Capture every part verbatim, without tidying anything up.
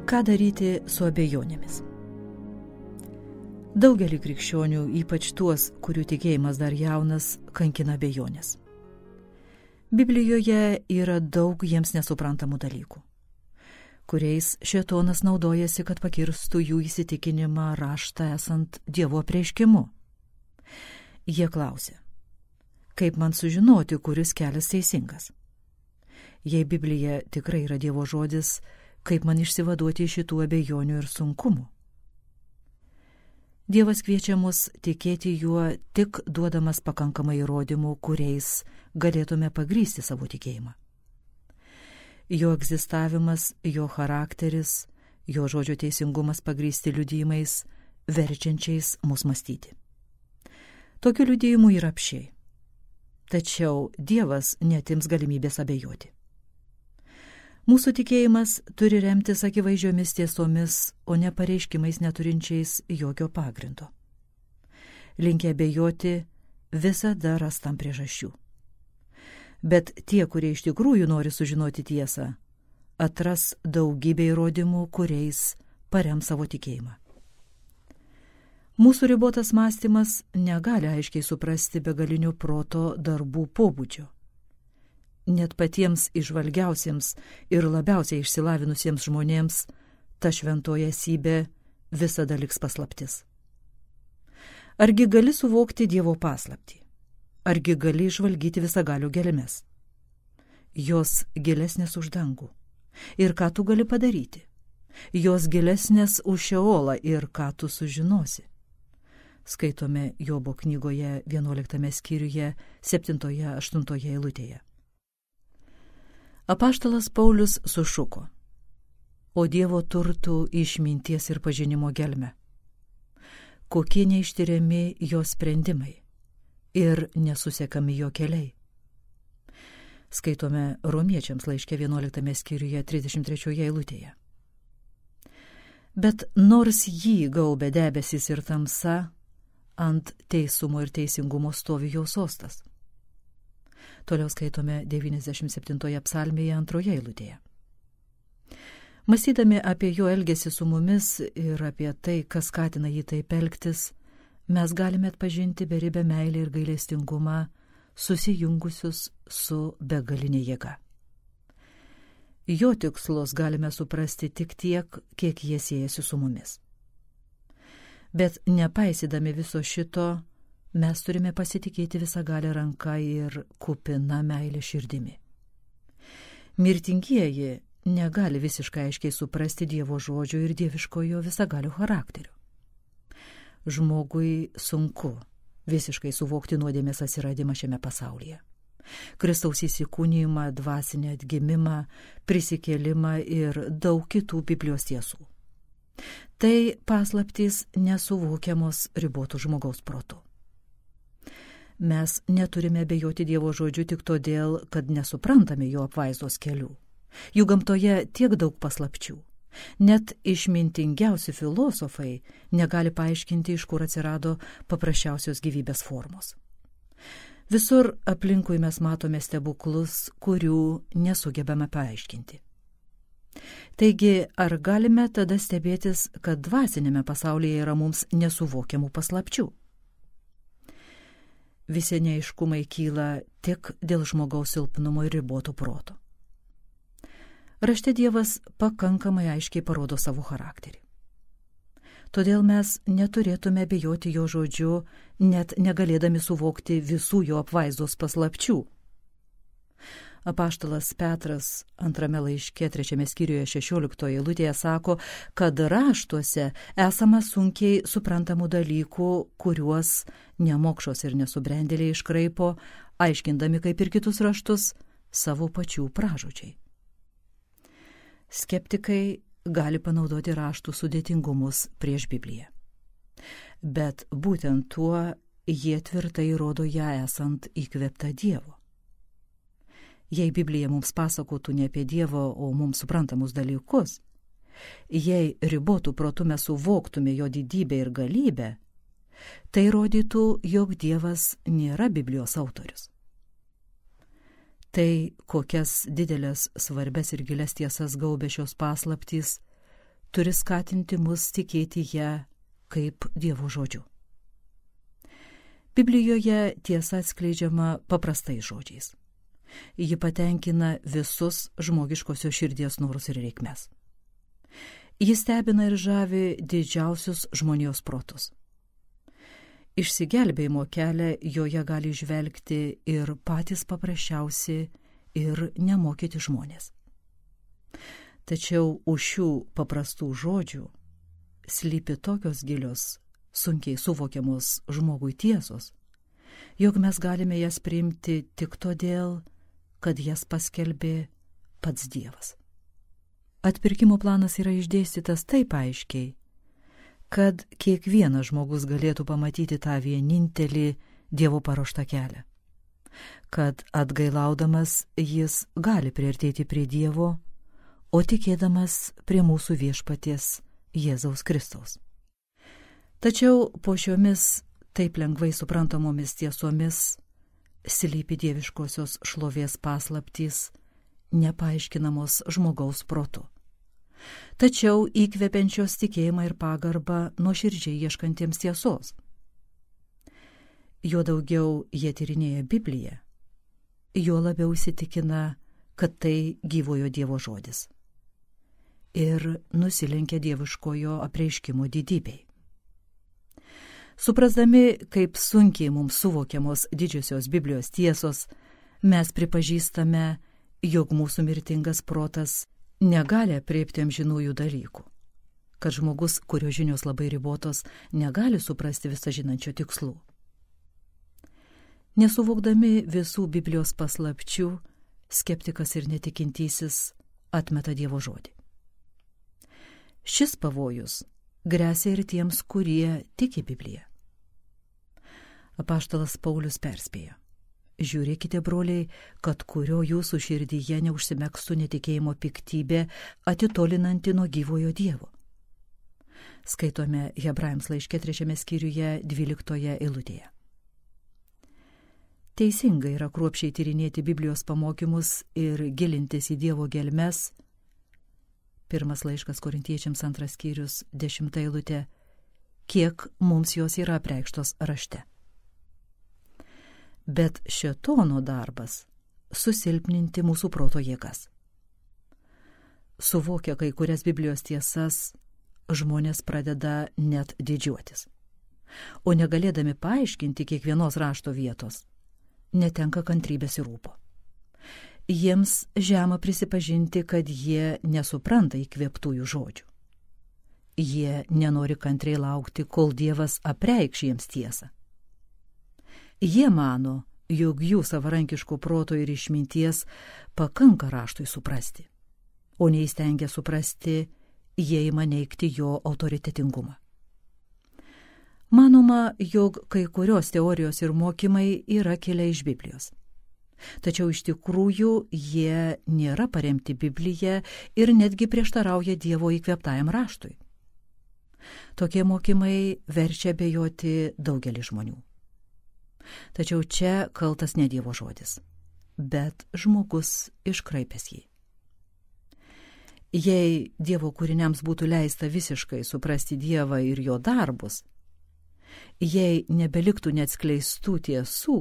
Ką daryti su abejonėmis? Daugelį krikščionių, ypač tuos, kurių tikėjimas dar jaunas, kankina abejonės. Biblijoje yra daug jiems nesuprantamų dalykų, kuriais šėtonas naudojasi, kad pakirstų jų įsitikinimą raštą esant Dievo apreiškimu. Jie klausia, kaip man sužinoti, kuris kelias teisingas? Jei Biblija tikrai yra Dievo žodis, kaip man išsivaduoti iš šitų abejonių ir sunkumų? Dievas kviečia mus tikėti juo tik duodamas pakankamai įrodymų, kuriais galėtume pagrysti savo tikėjimą. Jo egzistavimas, jo charakteris, jo žodžio teisingumas pagrysti liudijimais, verčiančiais mus mąstyti. Tokių liudijimų yra apsčiai. Tačiau Dievas netims galimybės abejoti. Mūsų tikėjimas turi remtis akivaizdžiomis tiesomis, o ne pareiškimais neturinčiais jokio pagrindo. Linkę abejoti visada ras tam priežasčių. Bet tie, kurie iš tikrųjų nori sužinoti tiesą, atras daugybę įrodymų, kuriais parems savo tikėjimą. Mūsų ribotas mąstymas negali aiškiai suprasti begalinio proto darbų pobūdžio. Net patiems išvalgiausiems ir labiausiai išsilavinusiems žmonėms ta šventoji esybė visada liks paslaptis. Argi gali suvokti Dievo paslaptį? Argi gali išvalgyti visagalių gelmes? Jos gilesnės už dangų. Ir ką tu gali padaryti? Jos gilesnės už Šeolą ir ką tu sužinosi? Skaitome Jobo knygoje vienuoliktame skyriuje, septintoje, aštuntoje eilutėje. Apaštalas Paulius sušuko, o Dievo turtų išminties ir pažinimo gelme. Kokie neištiriami jo sprendimai ir nesusekami jo keliai. Skaitome Romiečiams laiške vienuoliktame skyriuje, trisdešimt trečioje eilutėje. Bet nors jį gaubė debesis ir tamsa, ant teisumo ir teisingumo stovi jo sostas. Toliau skaitome devyniasdešimt septintoje psalmėje antroje eilutėje. Mąstydami apie jo elgesį su mumis ir apie tai, kas skatina jį taip elgtis, mes galime atpažinti beribę meilę ir gailestingumą susijungusius su begalinė jėga. Jo tikslus galime suprasti tik tiek, kiek jie siejasi su mumis. Bet nepaisydami viso šito, mes turime pasitikėti visagalę ranką ir kupiną meilę širdimi. Mirtingieji negali visiškai aiškiai suprasti Dievo žodžio ir dieviškojo visagalio charakterio. Žmogui sunku visiškai suvokti nuodėmės atsiradimą šiame pasaulyje. Kristaus įsikūnijimą, dvasinį atgimimą, prisikėlimą ir daug kitų Biblijos tiesų. Tai paslaptys nesuvokiamos ribotų žmogaus protu. Mes neturime abejoti Dievo žodžiu tik todėl, kad nesuprantame jo apvaizdos kelių. Jų gamtoje tiek daug paslapčių. Net išmintingiausi filosofai negali paaiškinti, iš kur atsirado paprasčiausios gyvybės formos. Visur aplinkui mes matome stebuklus, kurių nesugebame paaiškinti. Taigi, ar galime tada stebėtis, kad dvasinėme pasaulyje yra mums nesuvokiamų paslapčių? Visi neaiškumai kyla tik dėl žmogaus silpnumo ir riboto proto. Rašte Dievas pakankamai aiškiai parodo savo charakterį. Todėl mes neturėtume abejoti jo žodžiu, net negalėdami suvokti visų jo apvaizdos paslapčių. Apaštalas Petras antrame laiške trečiame skyriuje šešioliktoje eilutėje sako, kad raštuose esama sunkiai suprantamų dalykų, kuriuos nemokšos ir nesubrendėliai iškraipo, aiškindami kaip ir kitus raštus savo pačių pražodžiai. Skeptikai gali panaudoti raštų sudėtingumus prieš Bibliją. Bet būtent tuo jie tvirtai rodo ją esant įkvėpta Dievo. Jei Biblija mums pasakotų ne apie Dievo, o mums suprantamus dalykus, jei ribotų protu mes suvoktume jo didybę ir galybę, tai rodytų, jog Dievas nėra Biblijos autorius. Tai, kokias didelės, svarbes ir gilias tiesas gaubia šios paslaptys, turi skatinti mus tikėti ją kaip Dievo žodžiu. Biblijoje tiesa atskleidžiama paprastais žodžiais. Ji patenkina visus žmogiškosios širdies norus ir reikmes. Ji stebina ir žavi didžiausius žmonijos protus. Išsigelbėjimo kelią joje gali žvelgti ir patys paprasčiausi ir nemokyti žmonės. Tačiau už šių paprastų žodžių slypi tokios gilios, sunkiai suvokiamos žmogui tiesos, jog mes galime jas priimti tik todėl, kad jas paskelbė pats Dievas. Atpirkimo planas yra išdėstytas taip aiškiai, kad kiekvienas žmogus galėtų pamatyti tą vienintelį Dievo paruoštą kelią, kad atgailaudamas jis gali priartėti prie Dievo, o tikėdamas prie mūsų viešpaties Jėzaus Kristaus. Tačiau po šiomis taip lengvai suprantamomis tiesomis slypi dieviškosios šlovės paslaptys, nepaaiškinamos žmogaus protu, tačiau įkvepiančios tikėjimą ir pagarbą nuoširdžiai ieškantiems tiesos. Jo daugiau jie tyrinėja Bibliją, juo labiau įsitikina, kad tai gyvojo Dievo žodis ir nusilenkia dieviškojo apreiškimo didybei. Suprasdami, kaip sunkiai mums suvokiamos didžiosios Biblijos tiesos, mes pripažįstame, jog mūsų mirtingas protas negali aprėpti amžinųjų dalykų, kad žmogus, kurio žinios labai ribotos, negali suprasti visažinančio tikslų. Nesuvokdami visų Biblijos paslapčių, skeptikas ir netikintysis atmeta Dievo žodį. Šis pavojus gresia ir tiems, kurie tiki Bibliją. Apaštalas Paulius perspėjo: žiūrėkite, broliai, kad kurio jūsų širdyje neužsimegstų netikėjimo piktybė, atitolinanti nuo gyvojo Dievo. Skaitome Hebrajams laiške trečiame skyriuje dvyliktoje eilutėje. Teisinga yra kruopščiai tyrinėti Biblijos pamokymus ir gilintis į Dievo gelmes. Pirmas laiškas Korintiečiams antras skyrius, dešimta eilutė, kiek mums jos yra apreikštos rašte. Bet šėtono darbas susilpninti mūsų proto jėgas. Suvokę kai kurias Biblijos tiesas, žmonės pradeda net didžiuotis, o negalėdami paaiškinti kiekvienos rašto vietos, netenka kantrybės ir rūpo. Jiems žema prisipažinti, kad jie nesupranta įkvėptųjų žodžių. Jie nenori kantriai laukti, kol Dievas apreikš jiems tiesą. Jie mano, jog jų savarankiško proto ir išminties pakanka raštui suprasti, o neįstengia suprasti, jie ima neigti jo autoritetingumą. Manoma, jog kai kurios teorijos ir mokymai yra kilę iš Biblijos. Tačiau iš tikrųjų jie nėra paremti Biblija ir netgi prieštarauja Dievo įkvėptajam raštui. Tokie mokymai verčia abejoti daugelį žmonių. Tačiau čia kaltas ne Dievo žodis, bet žmogus iškraipęs jį. Jei Dievo kūriniams būtų leista visiškai suprasti Dievą ir jo darbus, jei nebeliktų neatskleistų tiesų,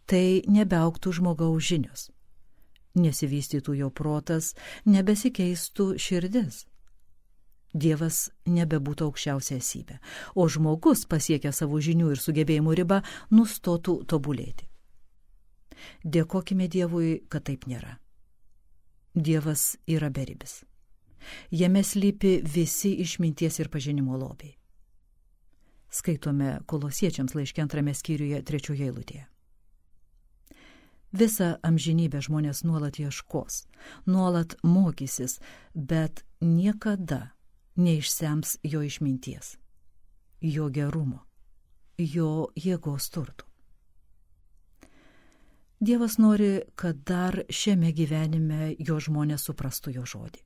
tai nebeaugtų žmogaus žinios, nesivystytų jo protas, nebesikeistų širdis. Dievas nebebūtų aukščiausia esybė, o žmogus, pasiekę savo žinių ir sugebėjimų ribą, nustotų tobulėti. Dėkokime Dievui, kad taip nėra. Dievas yra beribis. Jame slypi visi išminties ir pažinimo lobiai. Skaitome Kolosiečiams laiške antrame skyriuje trečioje eilutėje. Visą amžinybę žmonės nuolat ieškos, nuolat mokysis, bet niekada neišsems jo išminties, jo gerumo, jo jėgos turtų. Dievas nori, kad dar šiame gyvenime jo žmonės suprastų jo žodį.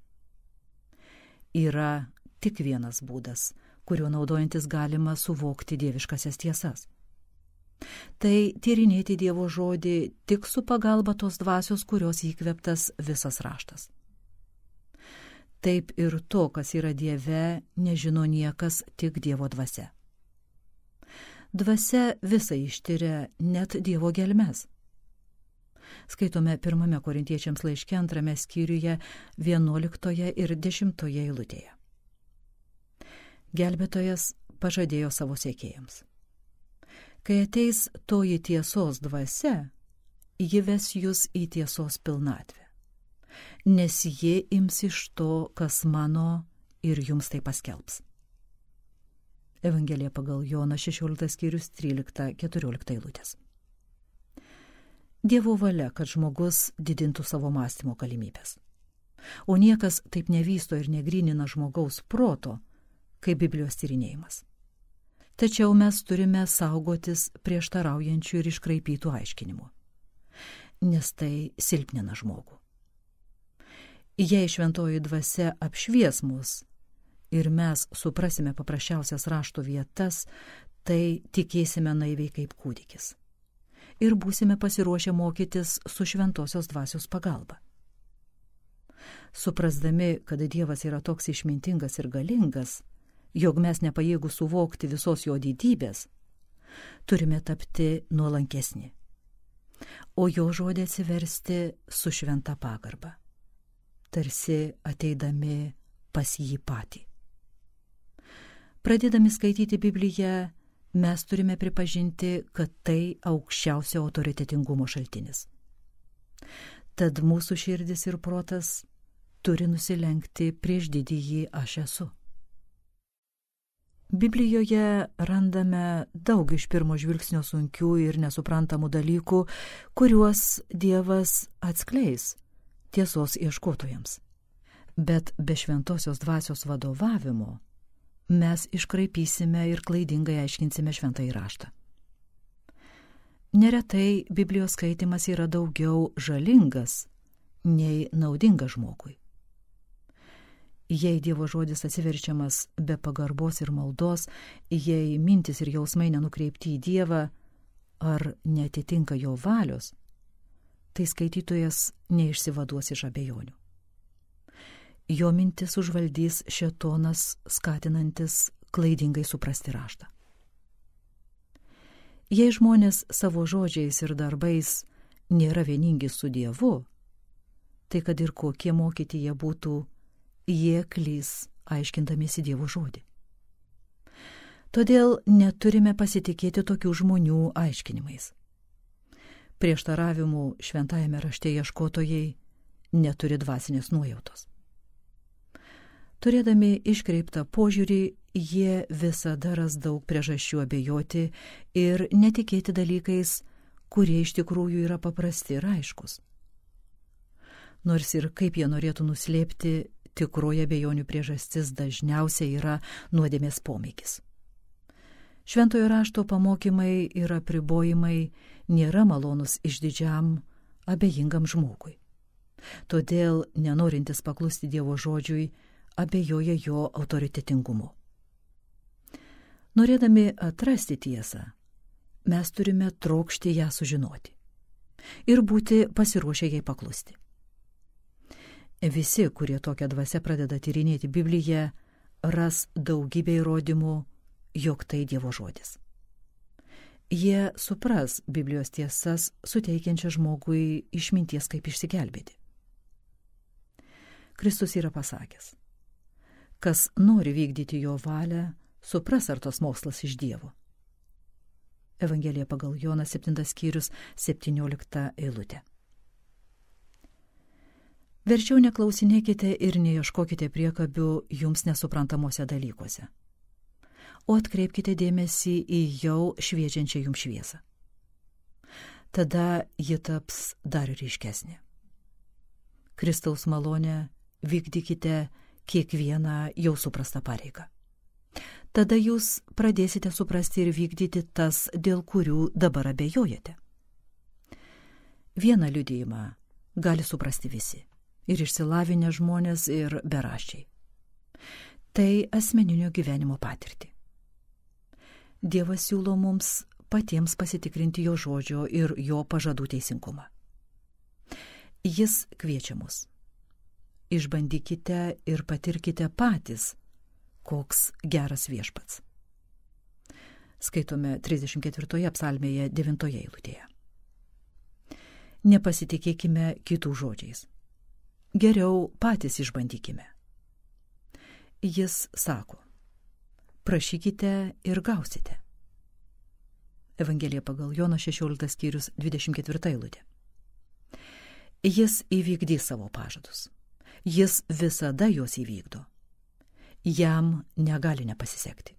Yra tik vienas būdas, kuriuo naudojantis galima suvokti dieviškasias tiesas. Tai tyrinėti Dievo žodį tik su pagalba tos dvasios, kurios įkvėptas visas raštas. taip ir to, kas yra Dieve, nežino niekas, tik Dievo dvasia. Dvasia visą ištyria, net Dievo gelmes. Skaitome pirmame Korintiečiams laiške antrame skyriuje vienuoliktoje ir dešimtoje eilutėje. Gelbėtojas pažadėjo savo sekėjams: kai ateis toji tiesos dvasia, ji ves jūs į tiesos pilnatvę, nes ji ims iš to, kas mano, ir jums tai paskelbs. Evangelija pagal Joną šešioliktas skyrius trylikta keturiolikta eilutės. Dievo valia, kad žmogus didintų savo mąstymo galimybės. O niekas taip nevysto ir negrynina žmogaus proto, kaip Biblijos tyrinėjimas. Tačiau mes turime saugotis prieštaraujančių ir iškraipytų aiškinimų, nes tai silpnina žmogų. Jei šventoji dvasia apšvies mus ir mes suprasime paprasčiausias rašto vietas, tai tikėsime naiviai kaip kūdikis ir būsime pasiruošę mokytis su šventosios dvasios pagalba. Suprasdami, kad Dievas yra toks išmintingas ir galingas, jog mes nepajėgų suvokti visos jo didybės, turime tapti nuolankesni, o jo žodį atsiversti su šventa pagarba, tarsi ateidami pas jį patį. Pradėdami skaityti Bibliją, mes turime pripažinti, kad tai aukščiausio autoritetingumo šaltinis. Tad mūsų širdis ir protas turi nusilenkti prieš didįjį aš esu. Biblijoje randame daug iš pirmo žvilgsnio sunkių ir nesuprantamų dalykų, kuriuos Dievas atskleis tiesos ieškotojams. Bet be šventosios dvasios vadovavimo mes iškraipysime ir klaidingai aiškinsime šventąjį raštą. Neretai Biblijos skaitimas yra daugiau žalingas nei naudingas žmogui. Jei Dievo žodis atsiverčiamas be pagarbos ir maldos, jei mintis ir jausmai nenukreipti į Dievą ar netitinka jo valios, tai skaitytojas neišsivaduos iš abejonių. Jo mintis užvaldys šėtonas, skatinantis klaidingai suprasti raštą. Jei žmonės savo žodžiais ir darbais nėra vieningi su Dievu, tai kad ir kokie mokyti jie būtų, jie klys aiškindamiesi Dievo žodį. Todėl neturime pasitikėti tokių žmonių aiškinimais. Prieštaravimų šventajame rašte ieškotojai neturi dvasinės nuojautos. Turėdami iškreiptą požiūrį, jie visada ras daug priežasčių abejoti ir netikėti dalykais, kurie iš tikrųjų yra paprasti ir aiškus. Nors ir kaip jie norėtų nuslėpti, tikroji abejonių priežastis dažniausiai yra nuodėmės pomėgis. Šventojo rašto pamokymai ir apribojimai nėra malonus išdidžiam, abejingam žmogui. Todėl, nenorintis paklusti Dievo žodžiui, abejoja jo autoritetingumu. Norėdami atrasti tiesą, mes turime trokšti ją sužinoti ir būti pasiruošę jai paklusti. Visi, kurie tokią dvasią pradeda tyrinėti Bibliją, ras daugybę įrodymų, jog tai Dievo žodis. Jie supras Biblijos tiesas, suteikiančią žmogui išminties, kaip išsigelbėti. Kristus yra pasakęs: kas nori vykdyti jo valią, supras, ar tos mokslas iš Dievo. Evangelija pagal Joną septintas skyrius septyniolikta eilutė. Verčiau neklausinėkite ir neieškokite priekabių jums nesuprantamuose dalykuose, o atkreipkite dėmesį į jau šviečiančią jums šviesą. Tada ji taps dar ryškesnė. Kristaus malonę vykdykite kiekvieną jau suprastą pareigą. Tada jūs pradėsite suprasti ir vykdyti tas, dėl kurių dabar abejojate. Vieną liudijimą gali suprasti visi, ir išsilavinę žmonės, ir beraščiai. Tai asmeninio gyvenimo patirtį. Dievas siūlo mums patiems pasitikrinti jo žodžio ir jo pažadų teisingumą. Jis kviečia mus. išbandykite ir patirkite patys, koks geras viešpats. Skaitome trisdešimt ketvirtoje psalmėje devintoje eilutėje. Nepasitikėkime kitų žodžiais. Geriau patys išbandykime. Jis sako, prašykite ir gausite. Evangelija pagal Jono šešioliktas skyrius dvidešimt ketvirta eilutė. Jis įvykdys savo pažadus. Jis visada juos įvykdo. Jam negali nepasisekti.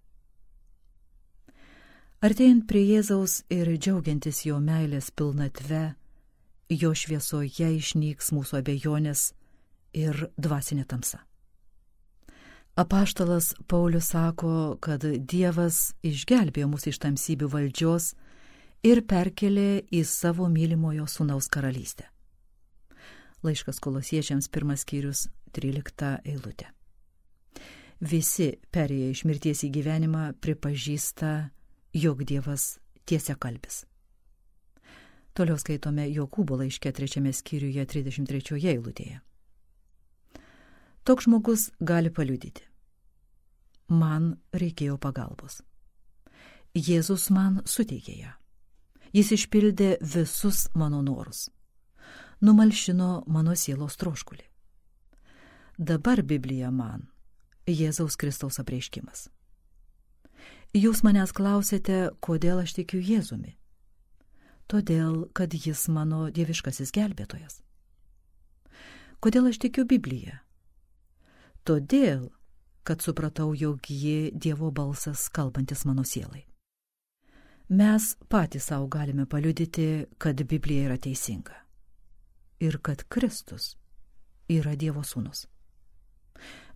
Artėjant prie Jėzaus ir džiaugiantis jo meilės pilnatve, jo šviesoje išnyks mūsų abejonės ir dvasinė tamsa. Apaštalas Paulius sako, kad Dievas išgelbėjo mus iš tamsybių valdžios ir perkelė į savo mylimojo sūnaus karalystę. Laiškas Kolosiečiams pirmas skyrius trylikta eilutė. Visi perėję iš mirties į gyvenimą pripažįsta, jog Dievas tiesiakalbis. Toliau skaitome Jokūbo laiške trečiame skyriuje trisdešimt trečioje eilutėje. Toks žmogus gali paliudyti. Man reikėjo pagalbos. Jėzus man suteikė ją. Jis išpildė visus mano norus. Numalšino mano sielos troškulį. Dabar Biblija man Jėzaus Kristaus apreiškimas. Jūs manęs klausėte, kodėl aš tikiu Jėzumi. Todėl, kad jis mano dieviškasis gelbėtojas. Kodėl aš tikiu Bibliją? Todėl, kad supratau, jog ji Dievo balsas kalbantis mano sielai. Mes patys savo galime paliudyti, kad Biblija yra teisinga ir kad Kristus yra Dievo sūnus.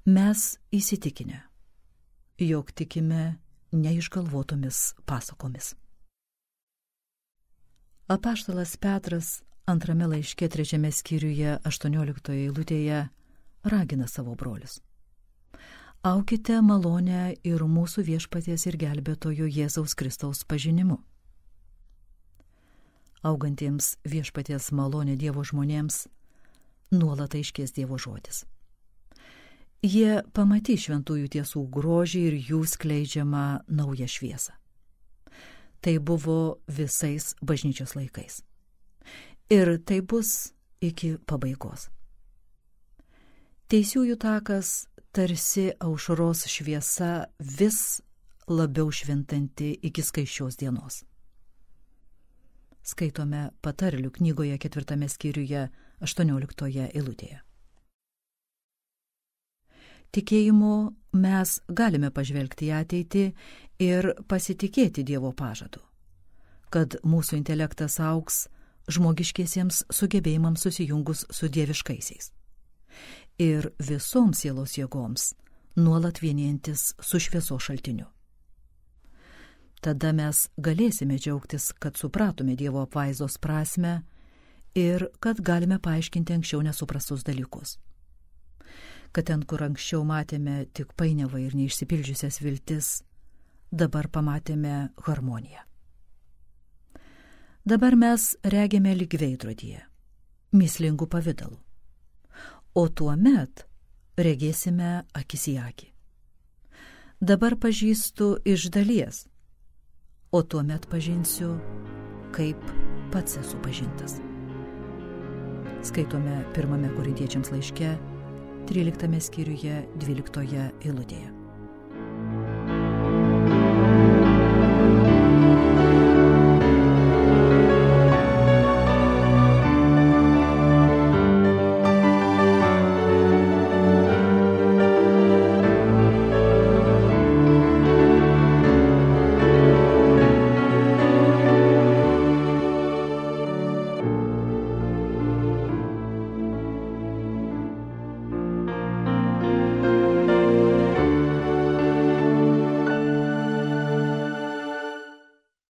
Mes įsitikinę, jog tikime neišgalvotomis pasakomis. Apaštalas Petras antrame laiške trečiame skyriuje aštuonioliktoje eilutėje ragina savo brolius. Aukite malonę ir mūsų viešpaties ir gelbėtojo Jėzaus Kristaus pažinimu. Augantiems viešpaties malonė Dievo žmonėms nuolat aiškės Dievo žodis. Jie pamatys šventųjų tiesų grožį ir jų skleidžiamą naują šviesą. Tai buvo visais bažnyčios laikais. Ir tai bus iki pabaigos. Teisiųjų takas tarsi aušros šviesa vis labiau švintanti iki skaisčios dienos. Skaitome Patarlių knygoje ketvirtame skyriuje aštuonioliktoje eilutėje. Tikėjimu mes galime pažvelgti į ateitį ir pasitikėti Dievo pažadu, kad mūsų intelektas augs žmogiškiesiems sugebėjimams susijungus su dieviškaisiais ir visoms sielos jėgoms nuolat vienijantis su šviesos šaltiniu. Tada mes galėsime džiaugtis, kad supratome Dievo apvaizdos prasmę ir kad galime paaiškinti anksčiau nesuprastus dalykus. Kad ten, kur anksčiau matėme tik painiavą ir neišsipildžiusias viltis, dabar pamatėme harmoniją. Dabar mes regime lyg veidrodyje, mįslingų pavidalų, o tuomet regėsime akis į akį. Dabar pažįstu iš dalies, o tuomet pažinsiu, kaip pats esu pažintas. Skaitome pirmame Korintiečiams laiške, tryliktame skyriuje, dvyliktoje eilutėje.